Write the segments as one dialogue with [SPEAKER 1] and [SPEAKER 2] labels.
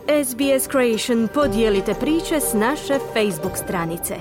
[SPEAKER 1] SBS Creation, podijelite priče s naše Facebook stranice.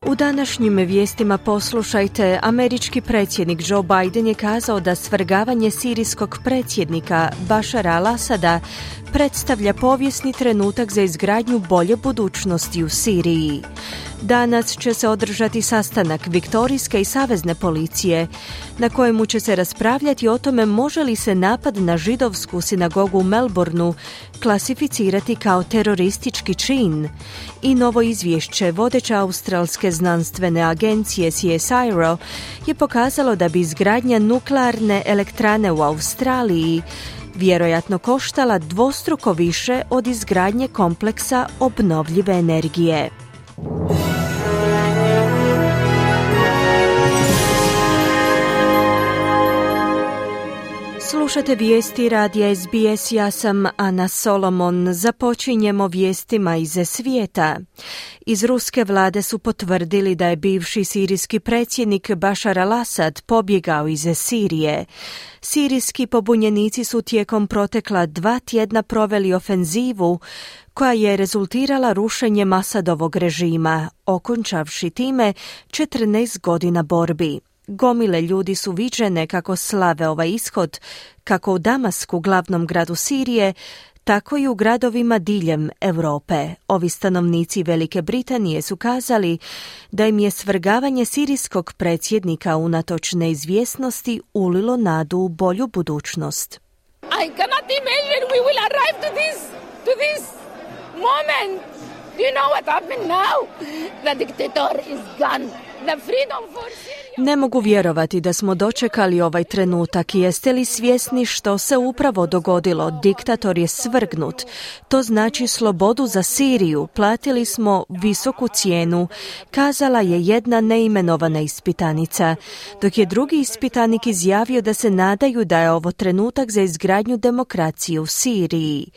[SPEAKER 1] U današnjim vijestima poslušajte, američki predsjednik Joe Biden je kazao da svrgavanje sirijskog predsjednika Bašara al-Asada predstavlja povijesni trenutak za izgradnju bolje budućnosti u Siriji. Danas će se održati sastanak Viktorijske i savezne policije, na kojemu će se raspravljati o tome može li se napad na židovsku sinagogu u Melbourneu klasificirati kao teroristički čin. I novo izvješće vodeće australske znanstvene agencije CSIRO je pokazalo da bi izgradnja nuklearne elektrane u Australiji vjerojatno koštala dvostruko više od izgradnje kompleksa obnovljive energije. Slušate vijesti radija SBS, ja sam Ana Solomon. Započinjemo vijestima iz svijeta. Iz ruske vlade su potvrdili da je bivši sirijski predsjednik Bašar al-Asad pobjegao iz Sirije. Sirijski pobunjenici su tijekom protekla 2 tjedna proveli ofenzivu koja je rezultirala rušenjem Asadovog režima, okončavši time 14 godina borbi. Gomile ljudi su viđene kako slave ovaj ishod, kako u Damasku, glavnom gradu Sirije, tako i u gradovima diljem Europe. Ovi stanovnici Velike Britanije su kazali da im je svrgavanje sirijskog predsjednika unatoč neizvjesnosti ulilo nadu u bolju budućnost.
[SPEAKER 2] I cannot imagine we will arrive to this moment. Do you know what happened now? The dictator is gone. The freedom for Syria.
[SPEAKER 1] Ne mogu vjerovati da smo dočekali ovaj trenutak. Jeste li svjesni što se upravo dogodilo? Diktator je svrgnut. To znači slobodu za Siriju. Platili smo visoku cijenu, kazala je jedna neimenovana ispitanica, dok je drugi ispitanik izjavio da se nadaju da je ovo trenutak za izgradnju demokracije u Siriji.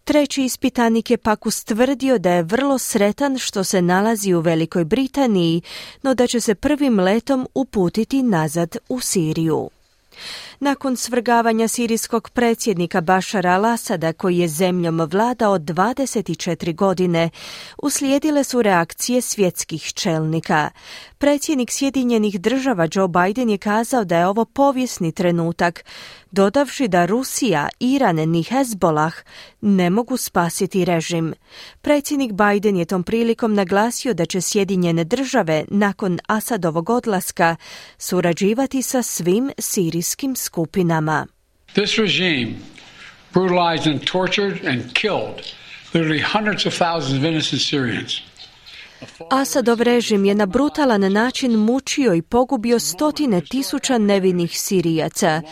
[SPEAKER 1] Treći ispitanik je pak ustvrdio da je vrlo sretan što se nalazi u Velikoj Britaniji, no da će se prvim letom uputiti nazad u Siriju. Nakon svrgavanja sirijskog predsjednika Bašara al-Asada, koji je zemljom vladao 24 godine, uslijedile su reakcije svjetskih čelnika. Predsjednik Sjedinjenih Država Joe Biden je kazao da je ovo povijesni trenutak, dodavši da Rusija, Iran ni Hezbollah ne mogu spasiti režim. Predsjednik Biden je tom prilikom naglasio da će Sjedinjene Države nakon Asadovog odlaska surađivati sa svim sirijskim skupinama.
[SPEAKER 3] This regime brutalized and tortured and killed literally hundreds of thousands of innocent Syrians.
[SPEAKER 1] Asadov režim je na brutalan način mučio i pogubio stotine tisuća nevinih Sirijaca.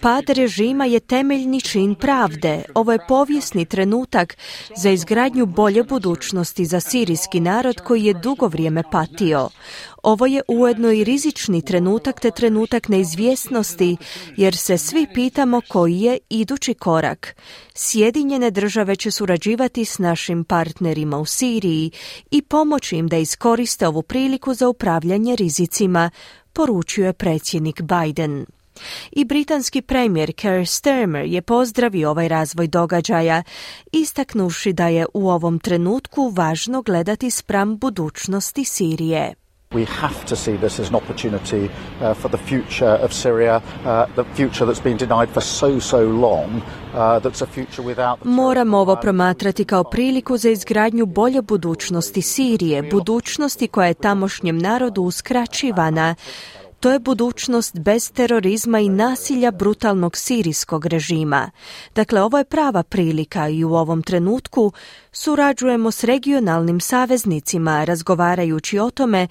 [SPEAKER 1] Pad režima je temeljni čin pravde. Ovo je povijesni trenutak za izgradnju bolje budućnosti za sirijski narod koji je dugo vrijeme patio. Ovo je ujedno i rizični trenutak te trenutak neizvjesnosti, jer se svi pitamo koji je idući korak. Sjedinjene Države će surađivati s našim partnerima u Siriji i pomoći im da iskoriste ovu priliku za upravljanje rizicima, poručio je predsjednik Biden. I britanski premijer Keir Starmer je pozdravio ovaj razvoj događaja, istaknuvši da je u ovom trenutku važno gledati spram budućnosti Sirije.
[SPEAKER 4] We have to see this as an opportunity for the future of Syria, the future that's been denied for so long, that's a future without...
[SPEAKER 1] Moramo ovo promatrati kao priliku za izgradnju bolje budućnosti Sirije, budućnosti koja je tamošnjem narodu uskraćivana. To je budućnost bez terorizma i nasilja brutalnog sirijskog režima. Dakle, ovo je prava prilika i u ovom trenutku surađujemo s regionalnim saveznicima, razgovarajući o tome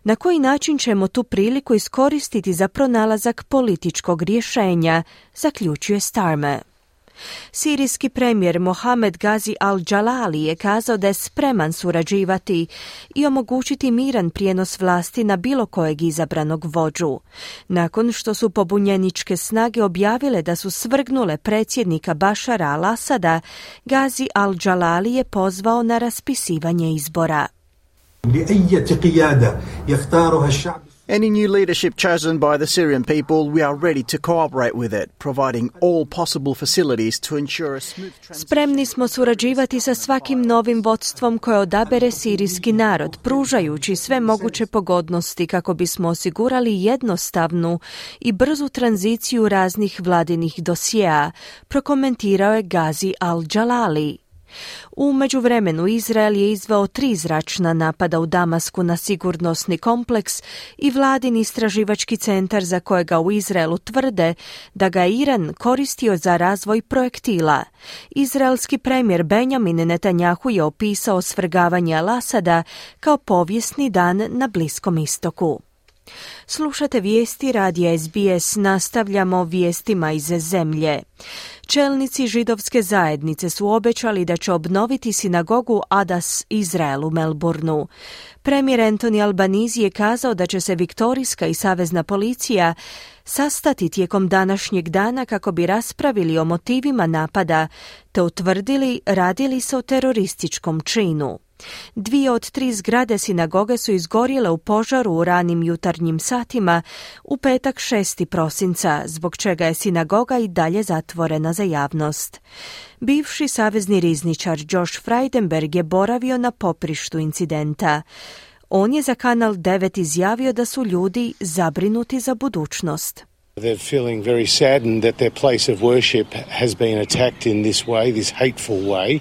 [SPEAKER 1] na koji način ćemo tu priliku iskoristiti za pronalazak političkog rješenja, zaključuje Starmer. Sirijski premijer Mohamed Gazi al-Jalali je kazao da je spreman surađivati i omogućiti miran prijenos vlasti na bilo kojeg izabranog vođu. Nakon što su pobunjeničke snage objavile da su svrgnule predsjednika Bašara al-Asada, Gazi al-Jalali je pozvao na raspisivanje izbora.
[SPEAKER 5] Any new leadership chosen by the Syrian people, we are ready to cooperate with it, providing all possible facilities to ensure a smooth transition.
[SPEAKER 1] Spremni smo surađivati sa svakim novim vodstvom koje odabere sirijski narod, pružajući sve moguće pogodnosti kako bismo osigurali jednostavnu i brzu tranziciju raznih vladinih dosjea, prokomentirao je Gazi al-Jalali. U međuvremenu Izrael je izveo 3 zračna napada u Damasku na sigurnosni kompleks i vladin istraživački centar za kojega u Izraelu tvrde da ga Iran koristio za razvoj projektila. Izraelski premijer Benjamin Netanjahu je opisao svrgavanje Al-Asada kao povijesni dan na Bliskom istoku. Slušate vijesti radija SBS, nastavljamo vijestima iz zemlje. Čelnici židovske zajednice su obećali da će obnoviti sinagogu Adas Izrael u Melbourneu. Premijer Anthony Albanese je kazao da će se viktorijska i savezna policija sastati tijekom današnjeg dana kako bi raspravili o motivima napada te utvrdili radili se o terorističkom činu. 2 od 3 zgrade sinagoge su izgorjele u požaru u ranim jutarnjim satima u petak 6. prosinca, zbog čega je sinagoga i dalje zatvorena za javnost. Bivši savezni rizničar Josh Frydenberg je boravio na poprištu incidenta. On je za Kanal 9 izjavio da su ljudi zabrinuti za budućnost.
[SPEAKER 6] They're feeling very saddened that their place of worship has been attacked in this way, this hateful way.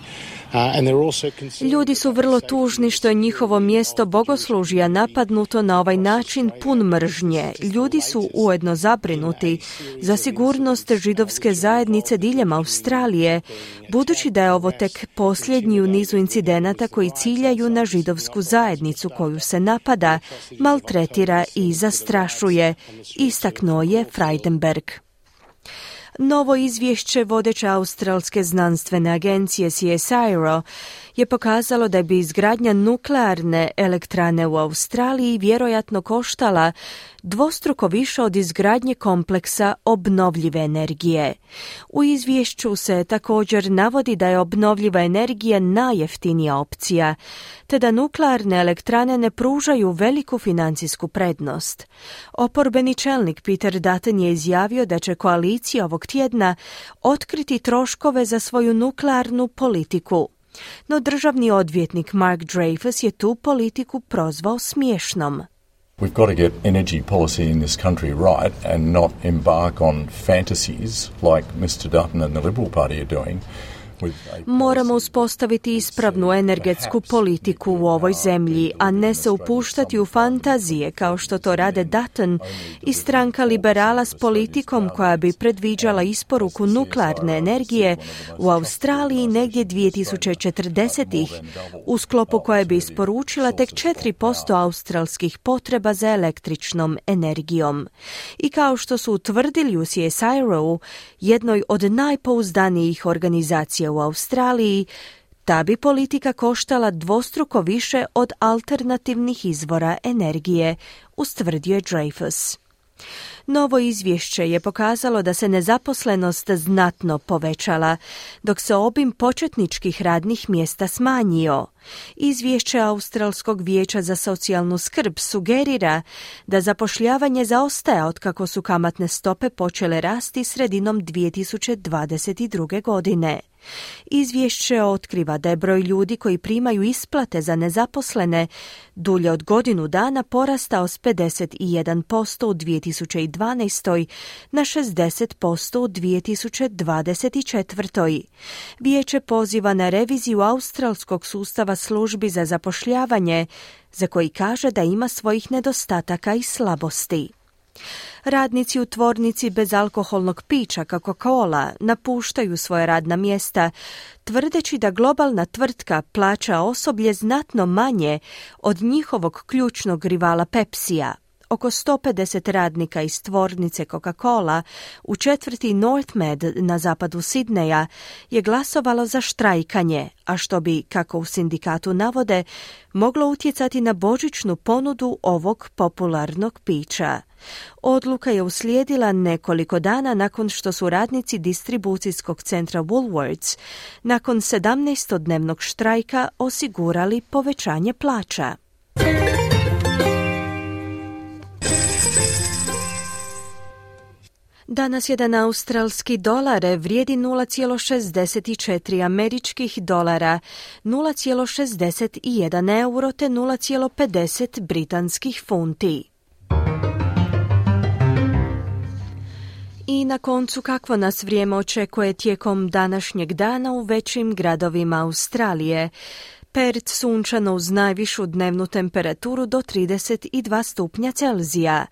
[SPEAKER 1] Ljudi su vrlo tužni što je njihovo mjesto bogoslužja napadnuto na ovaj način pun mržnje. Ljudi su ujedno zabrinuti za sigurnost židovske zajednice diljem Australije, budući da je ovo tek posljednji u nizu incidenata koji ciljaju na židovsku zajednicu koju se napada, maltretira i zastrašuje, istaknuo je Frydenberg. Novo izvješće vodeće australske znanstvene agencije CSIRO je pokazalo da bi izgradnja nuklearne elektrane u Australiji vjerojatno koštala dvostruko više od izgradnje kompleksa obnovljive energije. U izvješću se također navodi da je obnovljiva energija najjeftinija opcija, te da nuklearne elektrane ne pružaju veliku financijsku prednost. Oporbeni čelnik Peter Dutton je izjavio da će koalicija ovog tjedna otkriti troškove za svoju nuklearnu politiku. No državni odvjetnik Mark Dreyfus je tu politiku prozvao smiješnom.
[SPEAKER 7] We've got to get energy policy in this country right and not embark on fantasies like Mr. Dutton and the Liberal Party are doing.
[SPEAKER 1] Moramo uspostaviti ispravnu energetsku politiku u ovoj zemlji, a ne se upuštati u fantazije kao što to rade Dutton i stranka liberala s politikom koja bi predviđala isporuku nuklearne energije u Australiji negdje 2040-ih, u sklopu koje bi isporučila tek 4% australskih potreba za električnom energijom. I kao što su utvrdili u CSIRO-u, jednoj od najpouzdanijih organizacija u Australiji, ta bi politika koštala dvostruko više od alternativnih izvora energije, ustvrdio je Dreyfus. Novo izvješće je pokazalo da se nezaposlenost znatno povećala, dok se obim početničkih radnih mjesta smanjio. Izvješće Australskog vijeća za socijalnu skrb sugerira da zapošljavanje zaostaje otkako su kamatne stope počele rasti sredinom 2022. godine. Izvješće otkriva da je broj ljudi koji primaju isplate za nezaposlene dulje od godinu dana porastao s 51% u 2012. na 60% u 2024. Vijeće poziva na reviziju australskog sustava službi za zapošljavanje, za koji kaže da ima svojih nedostataka i slabosti. Radnici u tvornici bezalkoholnog pića Coca-Cola napuštaju svoje radna mjesta, tvrdeći da globalna tvrtka plaća osoblje znatno manje od njihovog ključnog rivala Pepsija. Oko 150 radnika iz tvornice Coca-Cola u četvrti Northmed na zapadu Sidneja je glasovalo za štrajkanje, a što bi, kako u sindikatu navode, moglo utjecati na božićnu ponudu ovog popularnog pića. Odluka je uslijedila nekoliko dana nakon što su radnici distribucijskog centra Woolworths nakon 17-dnevnog štrajka osigurali povećanje plaća. Danas jedan australski dolar vrijedi 0,64 američkih dolara, 0,61 euro te 0,50 britanskih funti. I na koncu, kakvo nas vrijeme očekuje tijekom današnjeg dana u većim gradovima Australije. Perth sunčano uz najvišu dnevnu temperaturu do 32 stupnja Celzija.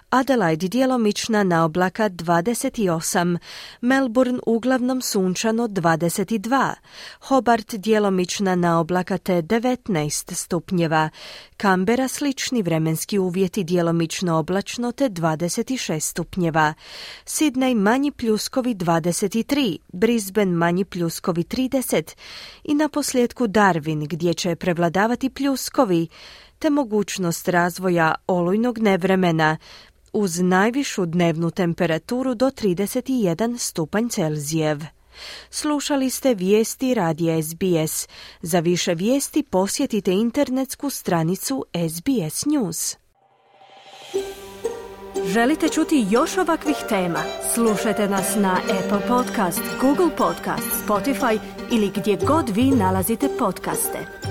[SPEAKER 1] Adelaide djelomična na oblaka 28, Melbourne uglavnom sunčano 22, Hobart djelomična na oblaka te 19 stupnjeva, Canberra slični vremenski uvjeti djelomično oblačno te 26 stupnjeva, Sydney manji pljuskovi 23, Brisbane manji pljuskovi 30 i na posljedku Darwin gdje će prevladavati pljuskovi te mogućnost razvoja olujnog nevremena uz najvišu dnevnu temperaturu do 31 stupanj Celzijev. Slušali ste vijesti radija SBS. Za više vijesti posjetite internetsku stranicu SBS News. Želite čuti još ovakvih tema? Slušajte nas na Apple Podcast, Google Podcast, Spotify ili gdje god vi nalazite podcaste.